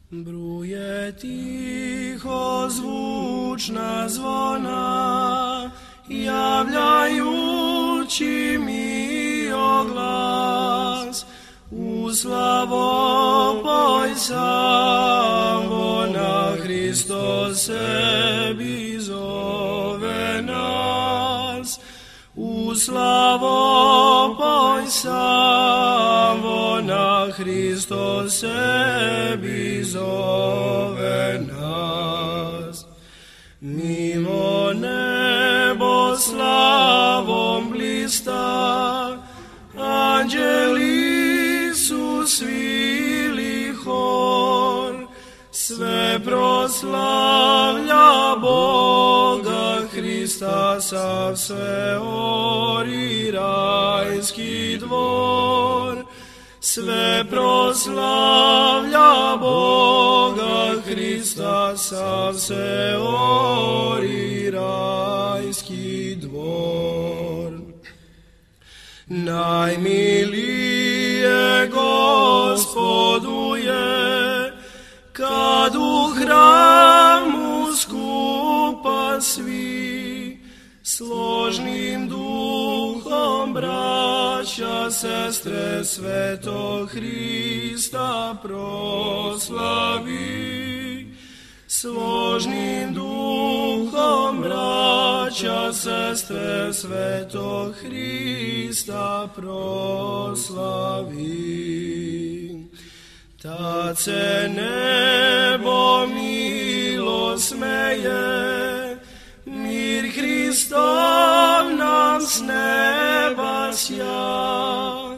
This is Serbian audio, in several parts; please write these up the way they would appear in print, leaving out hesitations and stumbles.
Bruje tiho zvučna zvona, javljajući mi oglas. U slavopoj savona, Hristos sebi zove nas. U slavopoj savona, Hristos sebi zove nas. Milo nebo slavom blista, anđeli su svili hor, sve proslavlja Boga Hrista, sav sve ori rajski dvor. Sve proslavlja Boga Hrista, sav se ori rajski dvor. Najmilije Gospodu je, kad u hramu skupa svi, složnim duhom braća, sestre, svetog Hrista proslavi. Složnim duhom braća, sestre, svetog Hrista proslavi. Tad se nebo milo smeje, mir Hristov nam s neba sja,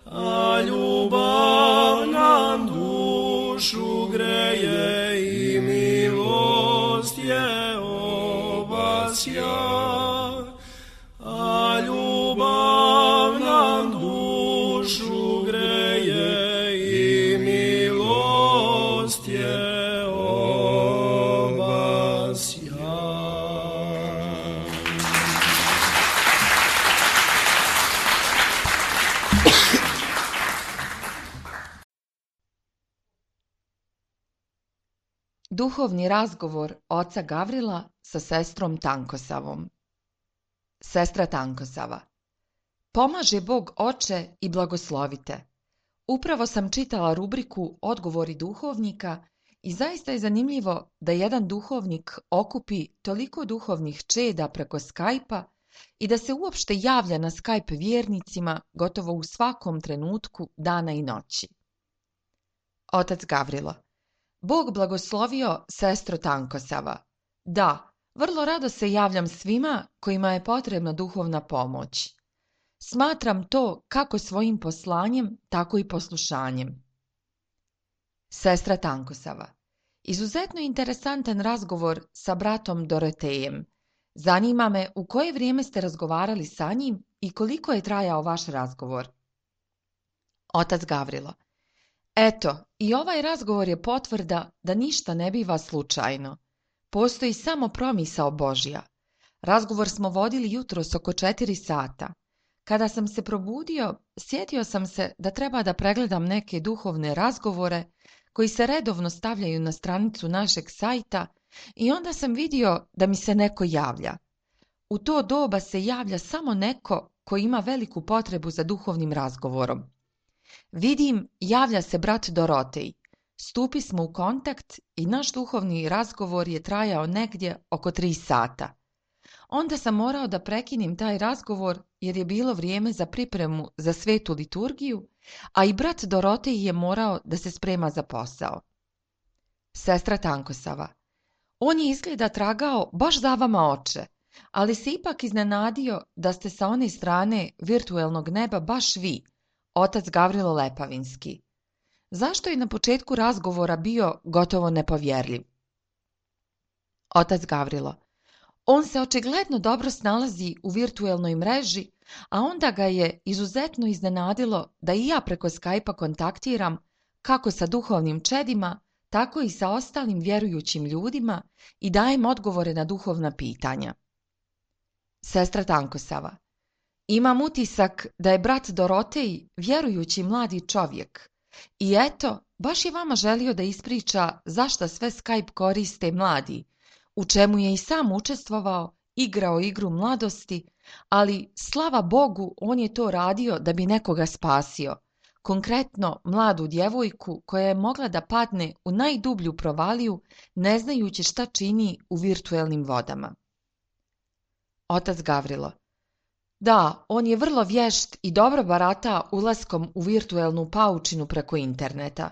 a ljubav nam dušu greje i milost je obasja. A ljubav nam dušu greje i milost je obasja. Duhovni razgovor oca Gavrila sa sestrom Tankosavom. Sestra Tankosava. Pomaže Bog oče i blagoslovite. Upravo sam čitala rubriku Odgovori duhovnika i zaista je zanimljivo da jedan duhovnik okupi toliko duhovnih čeda preko Skype-a i da se uopšte javlja na Skype vjernicima gotovo u svakom trenutku dana i noći. Otac Gavrilo. Bog blagoslovio sestro Tankosava. Da, vrlo rado se javljam svima kojima je potrebna duhovna pomoć. Smatram to kako svojim poslanjem, tako i poslušanjem. Sestra Tankosava. Izuzetno interesantan razgovor sa bratom Dorotejem. Zanima me u koje vrijeme ste razgovarali sa njim i koliko je trajao vaš razgovor. Otac Gavrilo. Eto, i ovaj razgovor je potvrda da ništa ne biva slučajno. Postoji samo promisao Božja. Razgovor smo vodili jutros oko 4 sata. Kada sam se probudio, sjetio sam se da treba da pregledam neke duhovne razgovore koji se redovno stavljaju na stranicu našeg sajta i onda sam vidio da mi se neko javlja. U to doba se javlja samo neko koji ima veliku potrebu za duhovnim razgovorom. Vidim, javlja se brat Dorotej. Stupi smo u kontakt i naš duhovni razgovor je trajao negdje oko 3 sata. Onda sam morao da prekinem taj razgovor jer je bilo vrijeme za pripremu za svetu liturgiju, a i brat Dorotej je morao da se sprema za posao. Sestra Tankosava. On je izgleda tragao baš za vama oče, ali se ipak iznenadio da ste sa one strane virtuelnog neba baš vi, otac Gavrilo Lepavinski. Zašto je na početku razgovora bio gotovo nepovjerljiv? Otac Gavrilo. On se očigledno dobro snalazi u virtuelnoj mreži, a onda ga je izuzetno iznenadilo da i ja preko Skype-a kontaktiram kako sa duhovnim čedima, tako i sa ostalim vjerujućim ljudima i dajem odgovore na duhovna pitanja. Sestra Tankosava. Imam utisak da je brat Dorotej vjerujući mladi čovjek i eto baš je vama želio da ispriča zašto sve Skype koriste mladi, u čemu je i sam učestvovao, igrao igru mladosti, ali slava Bogu on je to radio da bi nekoga spasio, konkretno mladu djevojku koja je mogla da padne u najdublju provaliju ne znajući šta čini u virtuelnim vodama. Otac Gavrilo: Da, on je vrlo vješt i dobro barata ulaskom u virtuelnu paučinu preko interneta.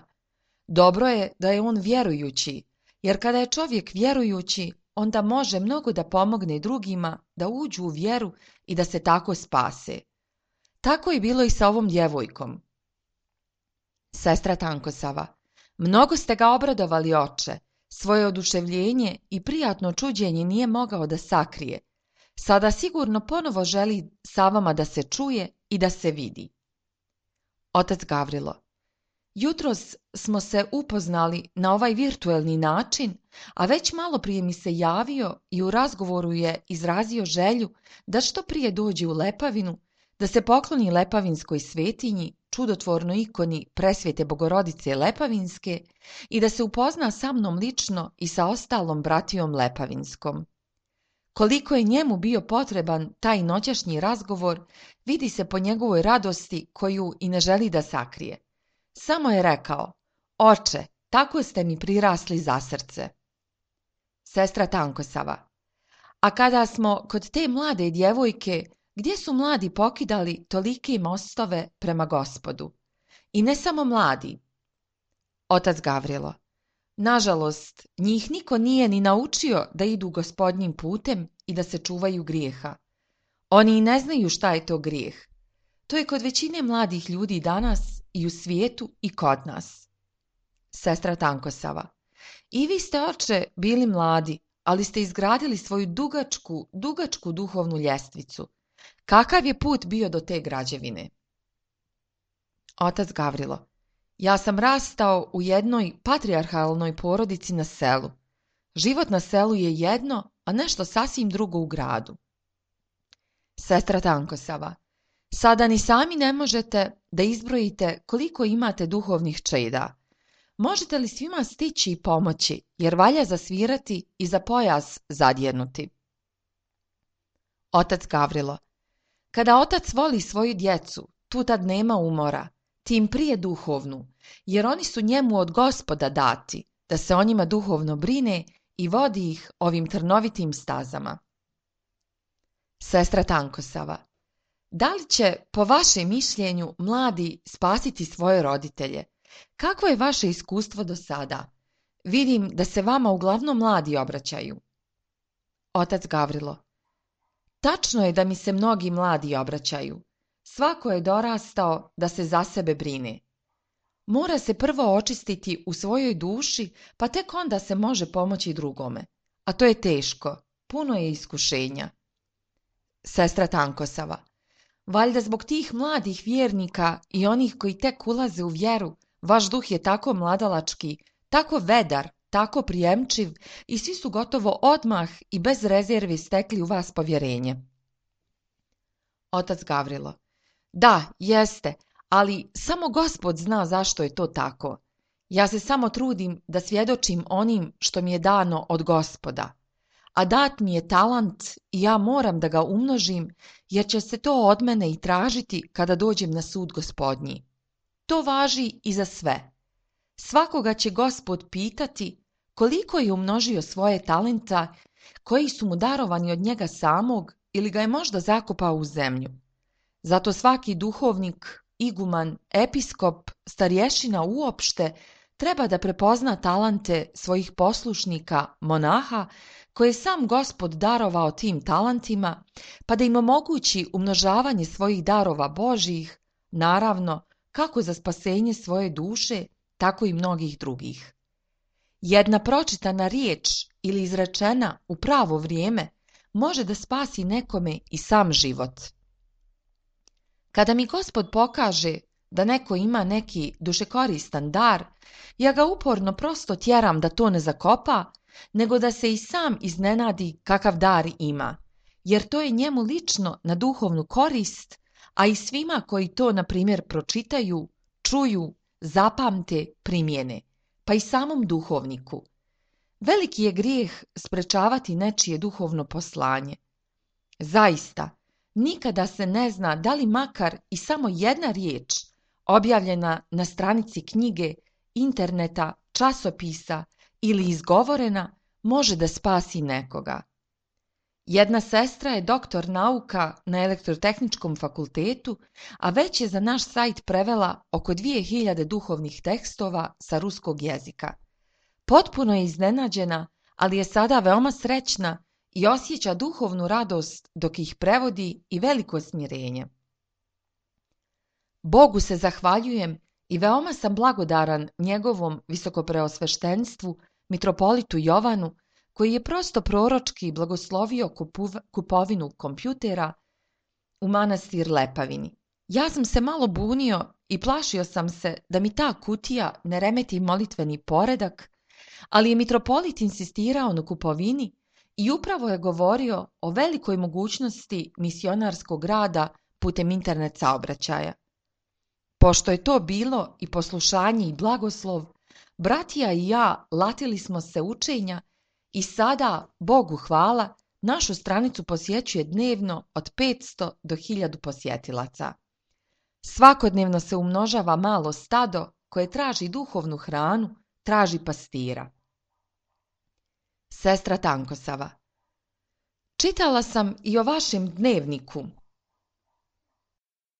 Dobro je da je on vjerujući, jer kada je čovjek vjerujući, onda može mnogo da pomogne drugima da uđu u vjeru i da se tako spase. Tako je bilo i sa ovom djevojkom. Sestra Tankosava: Mnogo ste ga obradovali, oče. Svoje oduševljenje i prijatno čuđenje nije mogao da sakrije. Sada sigurno ponovo želi sa vama da se čuje i da se vidi. Otac Gavrilo: Jutros smo se upoznali na ovaj virtuelni način, a već malo prije mi se javio i u razgovoru je izrazio želju da što prije dođe u Lepavinu, da se pokloni Lepavinskoj svetinji, čudotvornoj ikoni Presvete Bogorodice Lepavinske i da se upozna sa mnom lično i sa ostalom bratijom Lepavinskom. Koliko je njemu bio potreban taj noćašnji razgovor, vidi se po njegovoj radosti koju i ne želi da sakrije. Samo je rekao: Oče, tako ste mi prirasli za srce. Sestra Tankosava: A kada smo kod te mlade djevojke, gdje su mladi pokidali tolike mostove prema Gospodu? I ne samo mladi. Otac Gavrilo: Nažalost, njih niko nije ni naučio da idu Gospodnjim putem i da se čuvaju grijeha. Oni i ne znaju šta je to grijeh. To je kod većine mladih ljudi danas i u svijetu i kod nas. Sestra Tankosava: I vi ste, oče, bili mladi, ali ste izgradili svoju dugačku duhovnu ljestvicu. Kakav je put bio do te građevine? Otac Gavrilo: Ja sam rastao u jednoj patrijarhalnoj porodici na selu. Život na selu je jedno, a nešto sasvim drugo u gradu. Sestra Tankosava: Sada ni sami ne možete da izbrojite koliko imate duhovnih čeda. Možete li svima stići i pomoći, jer valja zasvirati i za pojas zadjernuti? Otac Gavrilo: Kada otac voli svoju djecu, tu tad nema umora, tim prije duhovnu, jer oni su njemu od Gospoda dati, da se o njima duhovno brine i vodi ih ovim trnovitim stazama. Sestra Tankosava: Da li će, po vašem mišljenju, mladi spasiti svoje roditelje? Kakvo je vaše iskustvo do sada? Vidim da se vama uglavnom mladi obraćaju. Otac Gavrilo: Tačno je da mi se mnogi mladi obraćaju. Svako je dorastao da se za sebe brine. Mora se prvo očistiti u svojoj duši, pa tek onda se može pomoći drugome. A to je teško, puno je iskušenja. Sestra Tankosava: Valjda zbog tih mladih vjernika i onih koji tek ulaze u vjeru, vaš duh je tako mladalački, tako vedar, tako prijemčiv i svi su gotovo odmah i bez rezervi stekli u vas povjerenje. Otac Gavrilo: Da, jeste, ali samo Gospod zna zašto je to tako. Ja se samo trudim da svjedočim onim što mi je dano od Gospoda. A dat mi je talant i ja moram da ga umnožim, jer će se to od mene i tražiti kada dođem na sud Gospodnji. To važi i za sve. Svakoga će Gospod pitati koliko je umnožio svoje talenta, koji su mu darovani od njega samog ili ga je možda zakopao u zemlju. Zato svaki duhovnik, iguman, episkop, starješina uopšte treba da prepozna talante svojih poslušnika, monaha, koje je sam Gospod darovao tim talentima, pa da im omogući umnožavanje svojih darova Božjih, naravno, kako za spasenje svoje duše, tako i mnogih drugih. Jedna pročitana riječ ili izrečena u pravo vrijeme može da spasi nekome i sam život. Kada mi Gospod pokaže da neko ima neki dušekoristan dar, ja ga uporno prosto tjeram da to ne zakopa, nego da se i sam iznenadi kakav dar ima, jer to je njemu lično na duhovnu korist, a i svima koji to, na primjer, pročitaju, čuju, zapamte, primjene, pa i samom duhovniku. Veliki je grijeh sprečavati nečije duhovno poslanje. Zaista, nikada se ne zna da li makar i samo jedna riječ objavljena na stranici knjige, interneta, časopisa ili izgovorena može da spasi nekoga. Jedna sestra je doktor nauka na Elektrotehničkom fakultetu, a već je za naš sajt prevela oko 2000 duhovnih tekstova sa ruskog jezika. Potpuno je iznenađena, ali je sada veoma srećna i osjeća duhovnu radost dok ih prevodi i veliko smirenje. Bogu se zahvaljujem i veoma sam blagodaran njegovom visokopreosveštenstvu, mitropolitu Jovanu, koji je prosto proročki blagoslovio kupovinu kompjutera u manastir Lepavini. Ja sam se malo bunio i plašio sam se da mi ta kutija ne remeti molitveni poredak, ali je mitropolit insistirao na kupovini i upravo je govorio o velikoj mogućnosti misionarskog rada putem internet saobraćaja. Pošto je to bilo i poslušanje i blagoslov, bratija i ja latili smo se učenja i sada, Bogu hvala, našu stranicu posjećuje dnevno od 500 do 1000 posjetilaca. Svakodnevno se umnožava malo stado koje traži duhovnu hranu, traži pastira. Sestra Tankosava. Čitala sam i o vašem dnevniku.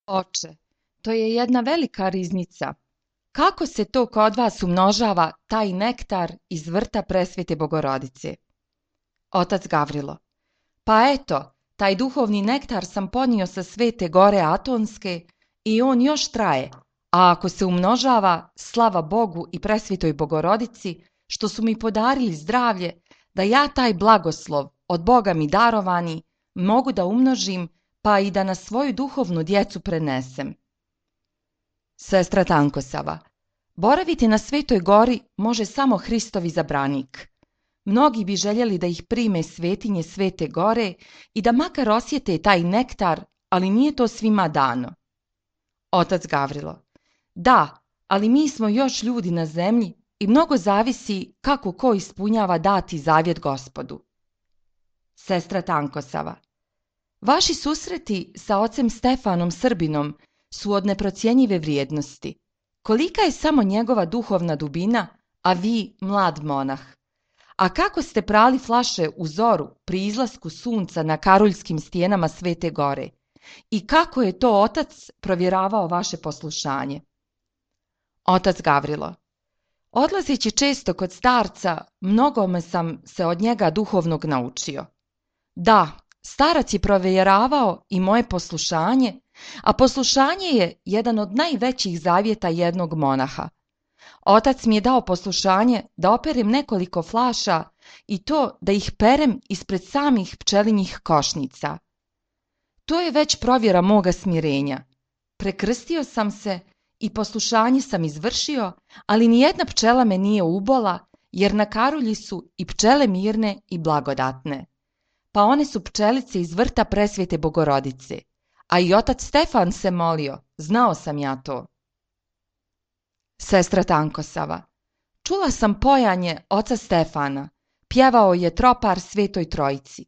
Oče, to je jedna velika riznica. Kako se to kod vas umnožava taj nektar iz vrta Presvete Bogorodice? Otac Gavrilo. Pa eto, taj duhovni nektar sam ponio sa Svete Gore Atonske i on još traje, a ako se umnožava, slava Bogu i Presvetoj Bogorodici, što su mi podarili zdravlje, da ja taj blagoslov, od Boga mi darovani, mogu da umnožim, pa i da na svoju duhovnu djecu prenesem. Sestra Tankosava. Boraviti na Svetoj Gori može samo Hristov izabranik. Mnogi bi željeli da ih prime svetinje Svete Gore i da makar osjete taj nektar, ali nije to svima dano. Otac Gavrilo. Da, ali mi smo još ljudi na zemlji i mnogo zavisi kako ko ispunjava dati zavjet Gospodu. Sestra Tankosava. Vaši susreti sa ocem Stefanom Srbinom su od neprocjenjive vrijednosti. Kolika je samo njegova duhovna dubina, a vi mlad monah. A kako ste prali flaše u zoru pri izlasku sunca na karuljskim stijenama Svete Gore? I kako je to otac provjeravao vaše poslušanje? Otac Gavrilo. Odlazeći često kod starca, mnogome sam se od njega duhovnog naučio. Da, starac je provjeravao i moje poslušanje, a poslušanje je jedan od najvećih zavjeta jednog monaha. Otac mi je dao poslušanje da operem nekoliko flaša i to da ih perem ispred samih pčelinjih košnica. To je već provjera moga smirenja. Prekrstio sam se i poslušanje sam izvršio, ali nijedna pčela me nije ubola, jer na karulji su i pčele mirne i blagodatne. Pa one su pčelice iz vrta Presvete Bogorodice. A i otac Stefan se molio, znao sam ja to. Sestra Tankosava. Čula sam pojanje oca Stefana. Pjevao je tropar Svetoj Trojici.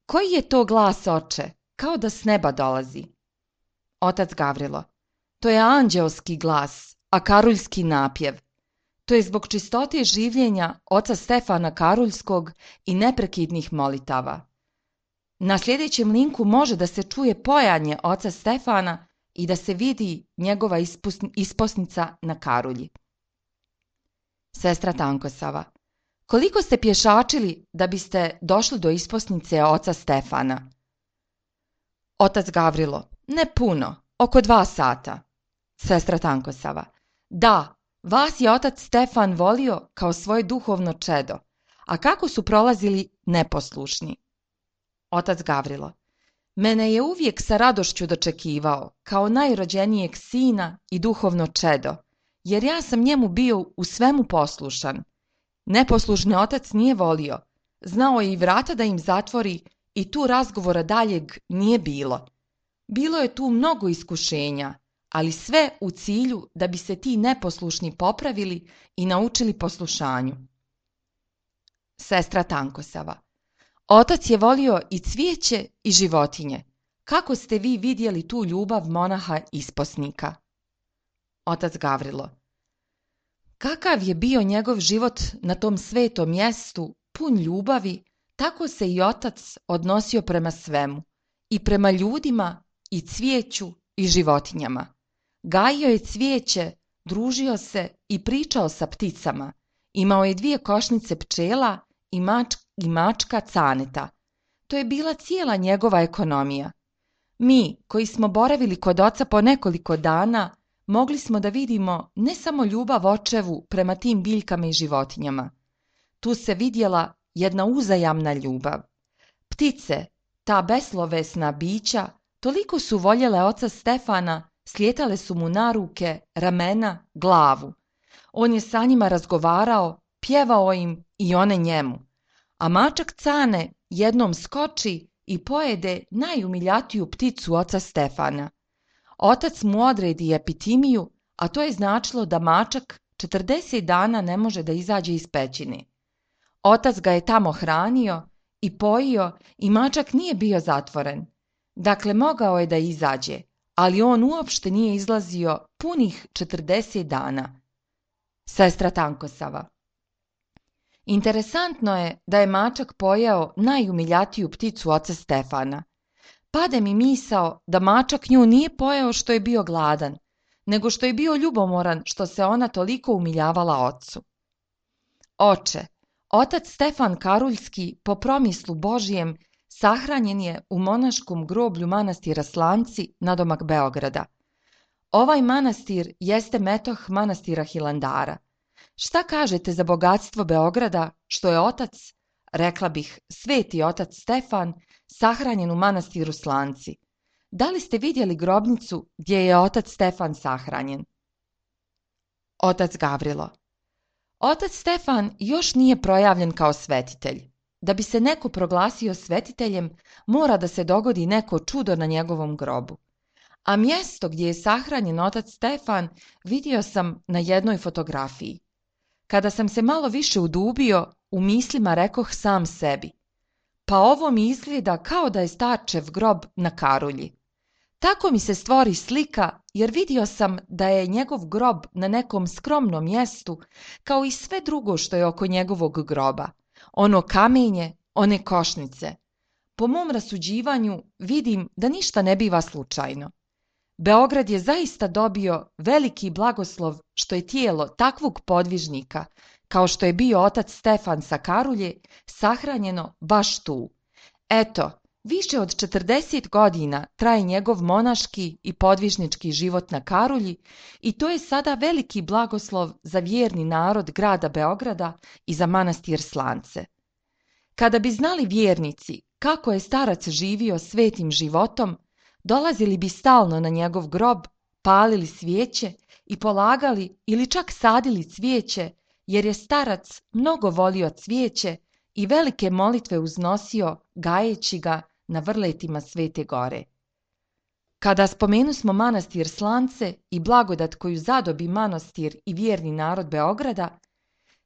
Koji je to glas, oče? Kao da s neba dolazi. Otac Gavrilo. To je anđeoski glas, a karuljski napjev. To je zbog čistote življenja oca Stefana Karuljskog i neprekidnih molitava. Na sljedećem linku može da se čuje pojanje oca Stefana i da se vidi njegova isposnica na karulji. Sestra Tankosava. Koliko ste pješačili da biste došli do isposnice oca Stefana? Otac Gavrilo. Ne puno, oko 2 sata. Sestra Tankosava. Da, vas je otac Stefan volio kao svoje duhovno čedo, a kako su prolazili neposlušni? Otac Gavrilo. Mene je uvijek sa radošću dočekivao, kao najrođenijeg sina i duhovno čedo, jer ja sam njemu bio u svemu poslušan. Neposlušni otac nije volio, znao je i vrata da im zatvori i tu razgovora daljeg nije bilo. Bilo je tu mnogo iskušenja, ali sve u cilju da bi se ti neposlušni popravili i naučili poslušanju. Sestra Tankosava: Otac je volio i cvijeće i životinje. Kako ste vi vidjeli tu ljubav monaha isposnika? Otac Gavrilo: Kakav je bio njegov život na tom svetom mjestu, pun ljubavi, tako se i otac odnosio prema svemu, i prema ljudima, i cvijeću, i životinjama. Gajio je cvijeće, družio se i pričao sa pticama. Imao je 2 košnice pčela i mačka Caneta. To je bila cijela njegova ekonomija. Mi, koji smo boravili kod oca po nekoliko dana, mogli smo da vidimo ne samo ljubav očevu prema tim biljkama i životinjama. Tu se vidjela jedna uzajamna ljubav. Ptice, ta beslovesna bića, toliko su voljele oca Stefana, slijetale su mu na ruke, ramena, glavu. On je sa njima razgovarao, pjevao im i one njemu. A mačak Cane jednom skoči i pojede najumiljatiju pticu oca Stefana. Otac mu odredi epitimiju, a to je značilo da mačak 40 dana ne može da izađe iz pećine. Otac ga je tamo hranio i pojio i mačak nije bio zatvoren. Dakle, mogao je da izađe, ali on uopšte nije izlazio punih 40 dana. Sestra Tankosava: Interesantno je da je mačak pojeo najumiljatiju pticu oca Stefana. Pade mi misao da mačak nju nije pojeo što je bio gladan, nego što je bio ljubomoran što se ona toliko umiljavala ocu. Oče, otac Stefan Karuljski, po promislu Božijem, sahranjen je u monaškom groblju manastira Slanci nadomak Beograda. Ovaj manastir jeste metoh manastira Hilandara. Šta kažete za bogatstvo Beograda što je otac, rekla bih sveti otac Stefan, sahranjen u manastiru Slanci? Da li ste vidjeli grobnicu gdje je otac Stefan sahranjen? Otac Gavrilo: Otac Stefan još nije projavljen kao svetitelj. Da bi se neko proglasio svetiteljem, mora da se dogodi neko čudo na njegovom grobu. A mjesto gdje je sahranjen otac Stefan vidio sam na jednoj fotografiji. Kada sam se malo više udubio, u mislima rekoh sam sebi: pa ovo mi izgleda kao da je starčev grob na Karulji. Tako mi se stvori slika, jer vidio sam da je njegov grob na nekom skromnom mjestu, kao i sve drugo što je oko njegovog groba. Ono kamenje, one košnice. Po mom rasuđivanju vidim da ništa ne biva slučajno. Beograd je zaista dobio veliki blagoslov što je tijelo takvog podvižnika, kao što je bio otac Stefan sa Karulje, sahranjeno baš tu. Eto, više od 40 godina traje njegov monaški i podvižnički život na Karulji i to je sada veliki blagoslov za vjerni narod grada Beograda i za manastir Slance. Kada bi znali vjernici kako je starac živio svetim životom, dolazili bi stalno na njegov grob, palili svijeće i polagali ili čak sadili cvijeće, jer je starac mnogo volio cvijeće i velike molitve uznosio gajeći ga na vrletima Svete Gore. Kada spomenusmo manastir Slance i blagodat koju zadobi manastir i vjerni narod Beograda,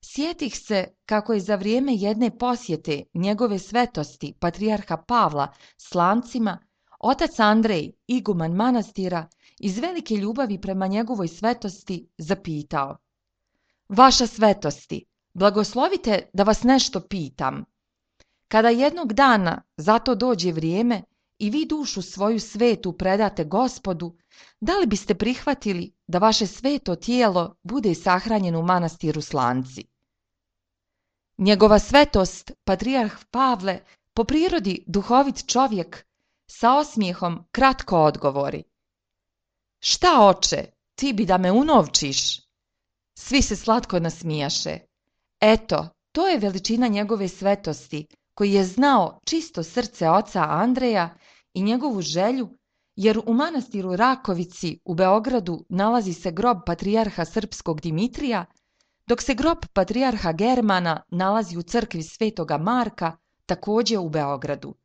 sjetih se kako je za vrijeme jedne posjete njegove svetosti patrijarha Pavla Slancima otac Andrej, iguman manastira, iz velike ljubavi prema njegovoj svetosti zapitao: Vaša svetosti, blagoslovite da vas nešto pitam. Kada jednog dana za to dođe vrijeme i vi dušu svoju svetu predate Gospodu, da li biste prihvatili da vaše sveto tijelo bude sahranjeno u manastiru Slanci? Njegova svetost, patrijarh Pavle, po prirodi duhovit čovjek, sa osmijehom kratko odgovori: Šta, oče, ti bi da me unovčiš? Svi se slatko nasmijaše. Eto, to je veličina njegove svetosti, koji je znao čisto srce oca Andreja i njegovu želju, jer u manastiru Rakovici u Beogradu nalazi se grob patrijarha srpskog Dimitrija, dok se grob patrijarha Germana nalazi u crkvi Svetoga Marka, također u Beogradu.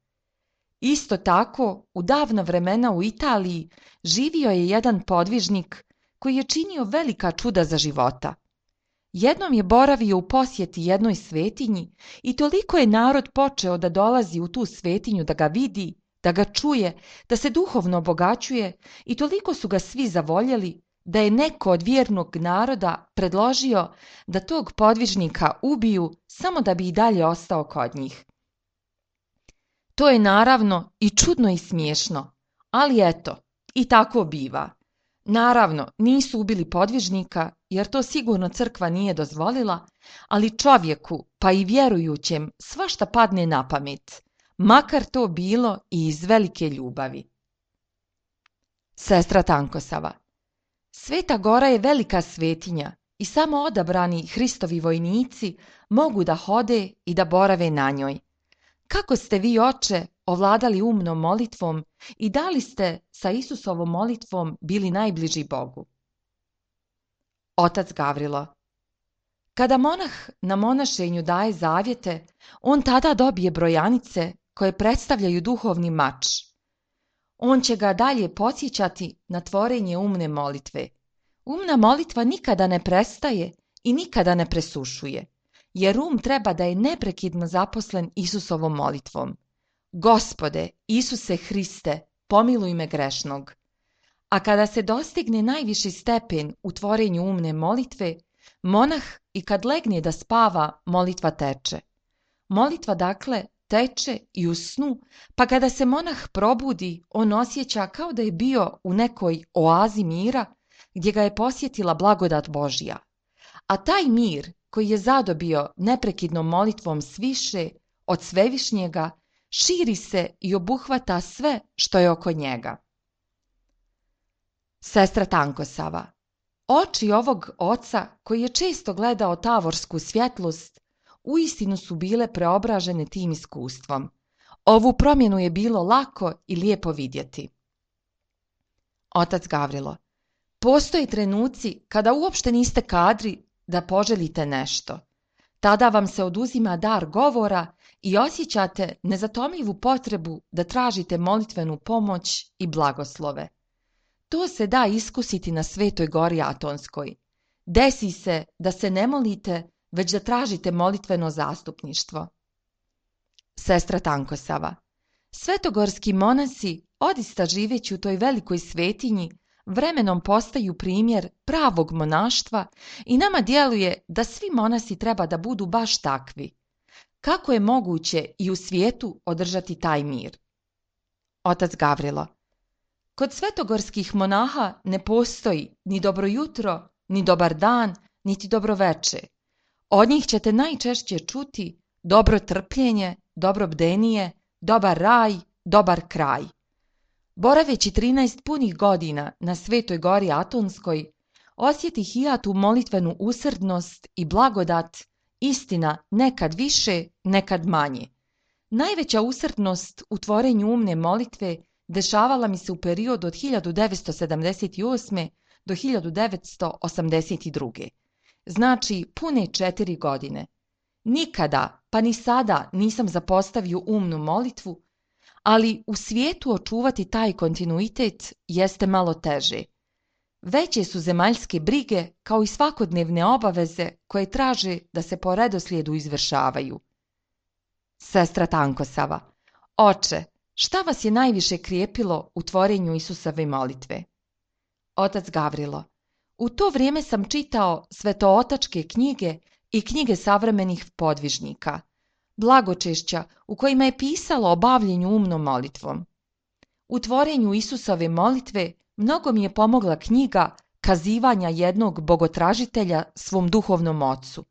Isto tako, u davna vremena u Italiji živio je jedan podvižnik koji je činio velika čuda za života. Jednom je boravio u posjeti jednoj svetinji i toliko je narod počeo da dolazi u tu svetinju da ga vidi, da ga čuje, da se duhovno obogaćuje i toliko su ga svi zavoljeli da je neko od vjernog naroda predložio da tog podvižnika ubiju samo da bi i dalje ostao kod njih. To je naravno i čudno i smiješno, ali eto, i tako biva. Naravno, nisu ubili podvižnika, jer to sigurno crkva nije dozvolila, ali čovjeku, pa i vjerujućem, svašta padne na pamet, makar to bilo i iz velike ljubavi. Sestra Tankosava. Sveta Gora je velika svetinja i samo odabrani Hristovi vojnici mogu da hode i da borave na njoj. Kako ste vi, oče, ovladali umnom molitvom i da li ste sa Isusovom molitvom bili najbliži Bogu? Otac Gavrilo. Kada monah na monašenju daje zavjete, on tada dobije brojanice koje predstavljaju duhovni mač. On će ga dalje podsjećati na tvorenje umne molitve. Umna molitva nikada ne prestaje i nikada ne presušuje, jer treba da je neprekidno zaposlen Isusovom molitvom. Gospode, Isuse Hriste, pomiluj me grešnog. A kada se dostigne najviši stepen u tvorenju umne molitve, monah i kad legne da spava, molitva teče. Molitva dakle teče i u snu, pa kada se monah probudi, on osjeća kao da je bio u nekoj oazi mira gdje ga je posjetila blagodat Božja. A taj mir koji je zadobio neprekidnom molitvom sviše od svevišnjega, širi se i obuhvata sve što je oko njega. Sestra Tankosava. Oči ovog oca, koji je često gledao tavorsku svjetlost, uistinu su bile preobražene tim iskustvom. Ovu promjenu je bilo lako i lijepo vidjeti. Otac Gavrilo. Postoje trenuci kada uopšte niste kadri da poželite nešto. Tada vam se oduzima dar govora i osjećate nezatomljivu potrebu da tražite molitvenu pomoć i blagoslove. To se da iskusiti na Svetoj Gori Atonskoj. Desi se da se ne molite, već da tražite molitveno zastupništvo. Sestra Tankosava. Svetogorski monasi, odista živeći u toj velikoj svetinji, vremenom postaju primjer pravog monaštva i nama djeluje da svi monasi treba da budu baš takvi. Kako je moguće i u svijetu održati taj mir? Otac Gavrilo. Kod svetogorskih monaha ne postoji ni dobro jutro, ni dobar dan, niti dobro veče. Od njih ćete najčešće čuti dobro trpljenje, dobro bdenije, dobar raj, dobar kraj. Boraveći 13 punih godina na Svetoj Gori Atonskoj, osjetih i ja tu molitvenu usrdnost i blagodat, istina nekad više, nekad manje. Najveća usrdnost u tvorenju umne molitve dešavala mi se u periodu od 1978. do 1982. Znači pune 4 godine. Nikada, pa ni sada nisam zapostavio umnu molitvu, ali u svijetu očuvati taj kontinuitet jeste malo teže. Veće su zemaljske brige kao i svakodnevne obaveze koje traže da se po redoslijedu izvršavaju. Sestra Tankosava. Oče, šta vas je najviše krijepilo u tvorenju Isusove molitve? Otac Gavrilo. U to vrijeme sam čitao svetootačke knjige i knjige savremenih podvižnika, blagočešća u kojima je pisalo o bavljenju umnom molitvom. U tvorenju Isusove molitve mnogo mi je pomogla knjiga Kazivanja jednog bogotražitelja svom duhovnom ocu.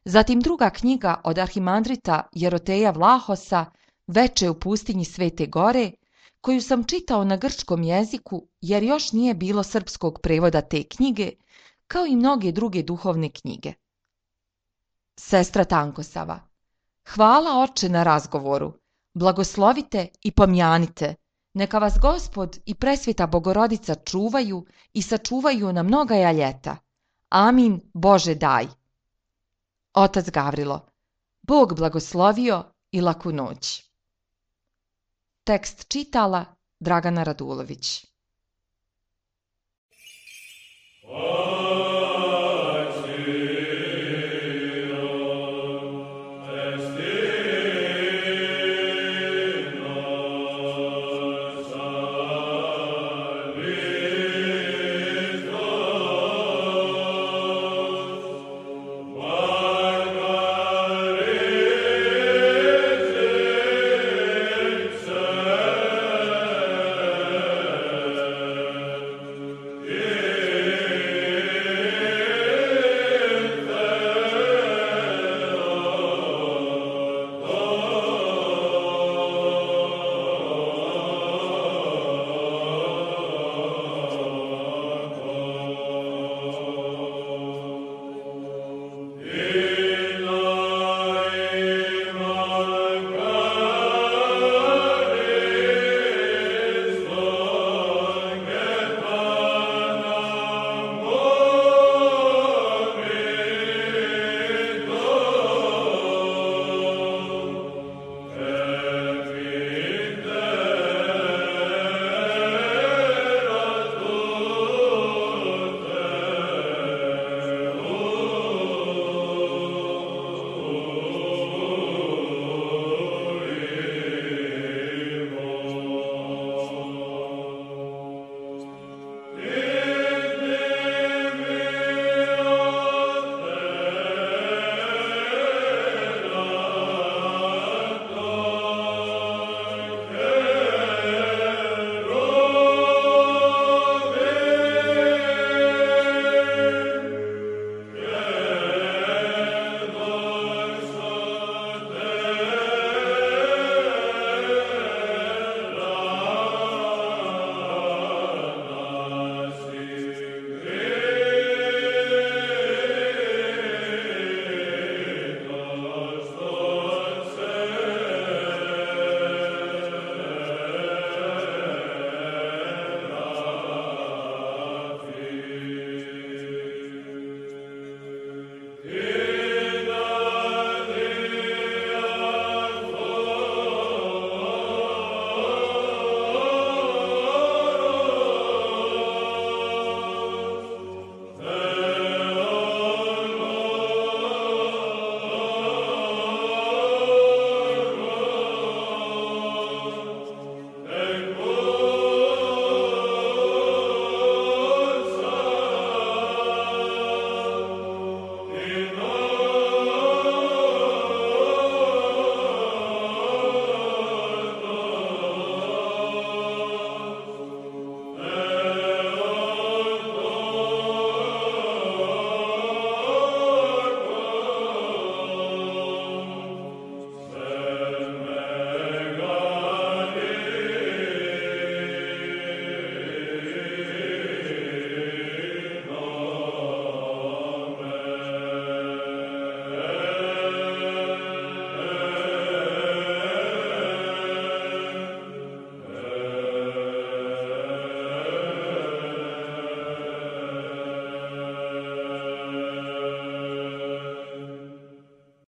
Zatim druga knjiga od arhimandrita Jeroteja Vlahosa Veče u pustinji Svete Gore, koju sam čitao na grčkom jeziku jer još nije bilo srpskog prevoda te knjige, kao i mnoge druge duhovne knjige. Sestra Tankosava. Hvala, oče, na razgovoru. Blagoslovite i pomjanite. Neka vas Gospod i presveta Bogorodica čuvaju i sačuvaju na mnogaja ljeta. Amin, Bože daj. Otac Gavrilo. Bog blagoslovio i laku noć. Tekst čitala Dragana Radulović.